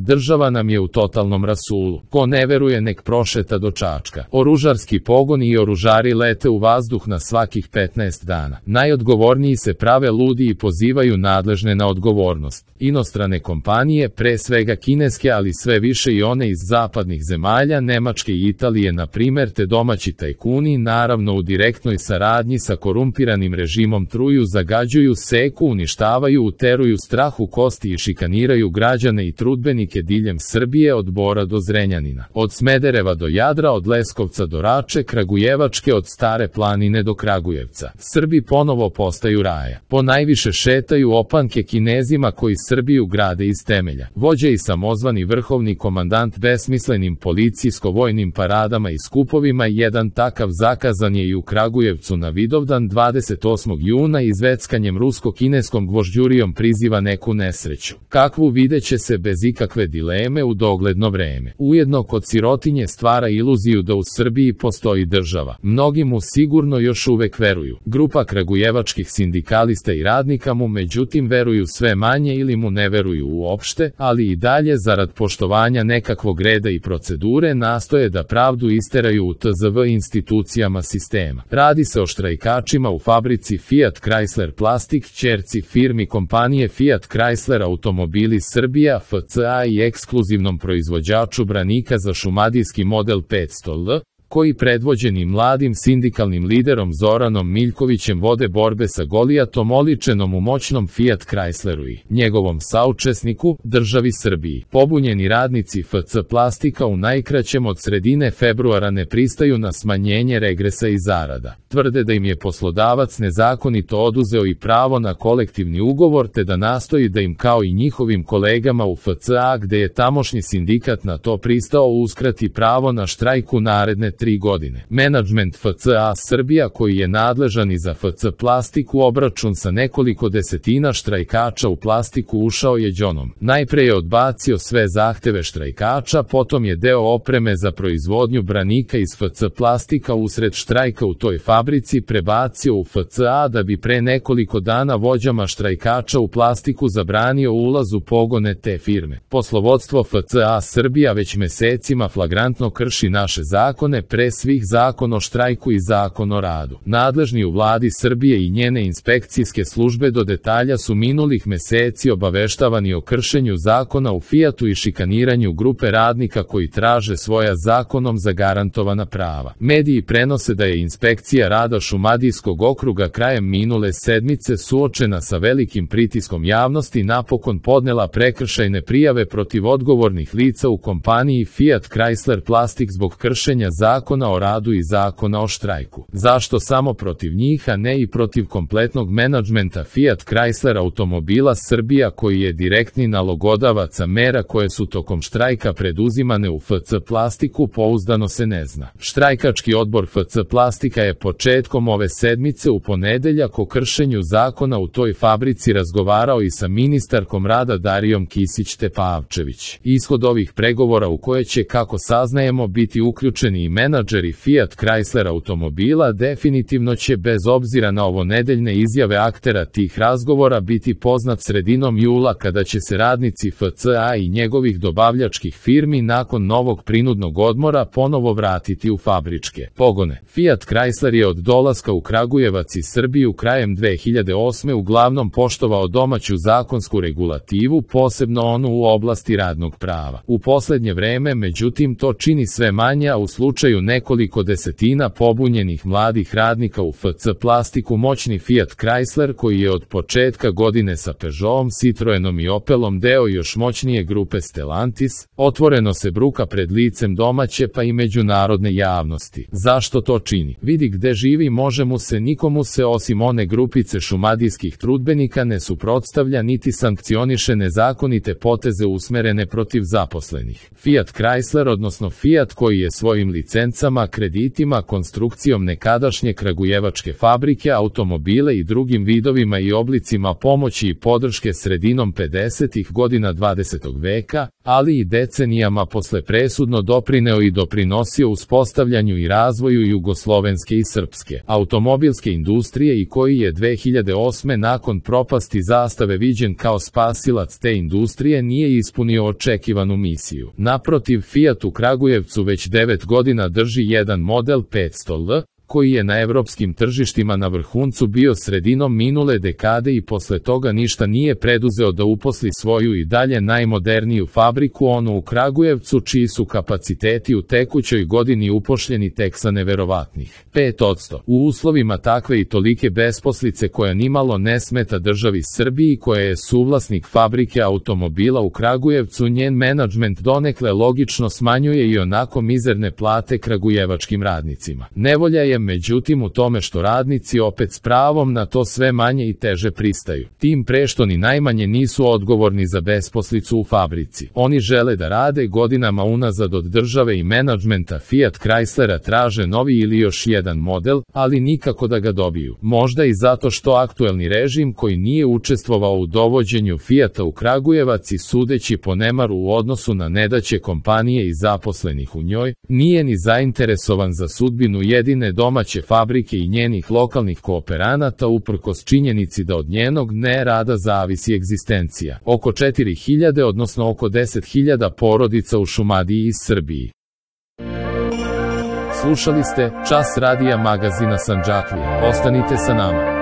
Država nam je u totalnom rasulu. Ko ne veruje nek prošeta do Čačka. Oružarski pogoni i oružari lete u vazduh na svakih 15 dana. Najodgovorniji se prave ludi i pozivaju nadležne na odgovornost. Inostrane kompanije, pre svega kineske, ali sve više i one iz zapadnih zemalja, Nemačke i Italije na primer, te domaći tajkuni, naravno u direktnoj saradnji sa korumpiranim režimom truju, zagađuju, seku, uništavaju, uteruju strah u kosti i šikaniraju građane i trudbenike diljem Srbije od Bora do Zrenjanina, od Smedereva do Jadra, od Leskovca do Rače, Kragujevačke, od Stare planine do Kragujevca. Srbi ponovo postaju raja. Ponajviše šetaju opanke Kinezima koji Srbiju grade iz temelja. Vođa i samozvani vrhovni komandant besmislenim policijsko-vojnim paradama i skupovima, jedan takav zakazan je i u Kragujevcu na Vidovdan 28. juna i zveckanjem rusko-kineskom gvožđurijom priziva neku nesreću. Kakvu videće se bez ikakve dileme u dogledno vreme. Ujedno kod sirotinje stvara iluziju da u Srbiji postoji država. Mnogi mu sigurno još uvek veruju. Grupa kragujevačkih sindikalista i radnika mu međutim veruju sve manje ili mu ne veruju uopšte, ali i dalje zarad poštovanja nekakvog reda i procedure nastoje da pravdu isteraju u TZV institucijama sistema. Radi se o štrajkačima u fabrici Fiat Chrysler Plastic, ćerci firmi kompanije Fiat Chrysler Automobili Srbija FCA i ekskluzivnom proizvođaču branika za šumadijski model 500L, koji predvođeni mladim sindikalnim liderom Zoranom Miljkovićem vode borbe sa Golijatom oličenom u moćnom Fiat Chrysleru i njegovom saučesniku, državi Srbiji. Pobunjeni radnici FC Plastika u najkraćem od sredine februara ne pristaju na smanjenje regresa i zarada. Tvrde da im je poslodavac nezakonito oduzeo i pravo na kolektivni ugovor te da nastoji da im kao i njihovim kolegama u FCA, gde je tamošnji sindikat na to pristao, uskrati pravo na štrajk u naredne 3 godine. Menadžment FCA Srbija, koji je nadležan i za FC Plastiku, obračun sa nekoliko desetina štrajkača u Plastiku ušao je đonom. Najpre je odbacio sve zahteve štrajkača, potom je deo opreme za proizvodnju branika iz FC Plastika usred štrajka u toj fabrici prebacio u FCA da bi pre nekoliko dana vođama štrajkača u Plastiku zabranio ulaz u pogone te firme. Poslovodstvo FCA Srbija već mesecima flagrantno krši naše zakone, pre svih zakon o štrajku i zakon o radu. Nadležni u vladi Srbije i njene inspekcijske službe do detalja su minulih meseci obaveštavani o kršenju zakona u Fiatu i šikaniranju grupe radnika koji traže svoja zakonom zagarantovana prava. Mediji prenose da je inspekcija rada Šumadijskog okruga krajem minule sedmice suočena sa velikim pritiskom javnosti napokon podnela prekršajne prijave protiv odgovornih lica u kompaniji Fiat Chrysler Plastic zbog kršenja zakona o radu i zakona o štrajku. Zašto samo protiv njih, a ne i protiv kompletnog menadžmenta Fiat Chrysler Automobila Srbija, koji je direktni nalogodavac mera koje su tokom štrajka preduzimane u FC Plastiku, pouzdano se ne zna. Štrajkački odbor FC Plastika je početkom ove sedmice u ponedeljak o kršenju zakona u toj fabrici razgovarao i sa ministarkom rada Darijom Kisić-Tepavčević. Ishod ovih pregovora, u koje će, kako saznajemo, biti uključeni i menadžeri Fiat Chrysler Automobila, definitivno će bez obzira na ovo nedeljne izjave aktera tih razgovora biti poznat sredinom jula, kada će se radnici FCA i njegovih dobavljačkih firmi nakon novog prinudnog odmora ponovo vratiti u fabričke pogone. Fiat Chrysler je od dolaska u Kragujevac i Srbiju krajem 2008. uglavnom poštovao domaću zakonsku regulativu, posebno onu u oblasti radnog prava. U poslednje vreme, međutim, to čini sve manje, a u slučaju nekoliko desetina pobunjenih mladih radnika u FC Plastiku moćni Fiat Chrysler, koji je od početka godine sa Peugeotom, Citroenom i Opelom deo još moćnije grupe Stellantis, otvoreno se bruka pred licem domaće pa i međunarodne javnosti. Zašto to čini? Vidi gde živi, može mu se, nikomu se osim one grupice šumadijskih trudbenika ne suprotstavlja niti sankcioniše nezakonite poteze usmerene protiv zaposlenih. Fiat Chrysler, odnosno Fiat, koji je svojim licencama licencama, kreditima, konstrukcijom nekadašnje kragujevačke fabrike, automobile i drugim vidovima i oblicima pomoći i podrške sredinom 50. godina 20. veka, ali i decenijama posle presudno doprineo i doprinosio uspostavljanju i razvoju jugoslovenske i srpske automobilske industrije i koji je 2008. nakon propasti Zastave viđen kao spasilac te industrije, nije ispunio očekivanu misiju. Naprotiv, Fiat u Kragujevcu već 9 godina drži jedan model 500L, koji je na evropskim tržištima na vrhuncu bio sredinom minule dekade i posle toga ništa nije preduzeo da uposli svoju i dalje najmoderniju fabriku, onu u Kragujevcu, čiji su kapaciteti u tekućoj godini upošljeni tek sa neverovatnih 5%. U uslovima takve i tolike besposlice koja nimalo ne smeta državi Srbiji, koja je suvlasnik fabrike automobila u Kragujevcu, njen menadžment donekle logično smanjuje i onako mizerne plate kragujevačkim radnicima. Nevolja je međutim u tome što radnici opet s pravom na to sve manje i teže pristaju. Tim pre što ni najmanje nisu odgovorni za besposlicu u fabrici. Oni žele da rade, godinama unazad od države i menadžmenta Fiat Chryslera traže novi ili još jedan model, ali nikako da ga dobiju. Možda i zato što aktuelni režim, koji nije učestvovao u dovođenju Fiata u Kragujevac i sudeći po nemaru u odnosu na nedaće kompanije i zaposlenih u njoj, nije ni zainteresovan za sudbinu jedine domaće fabrike i njenih lokalnih kooperanata, uprkos činjenici da od njenog nerada zavisi egzistencija oko 4000, odnosno oko 10.000 porodica u Šumadiji i Srbiji. Slušali ste Čas radija magazina Sandžaklija. Ostanite sa nama.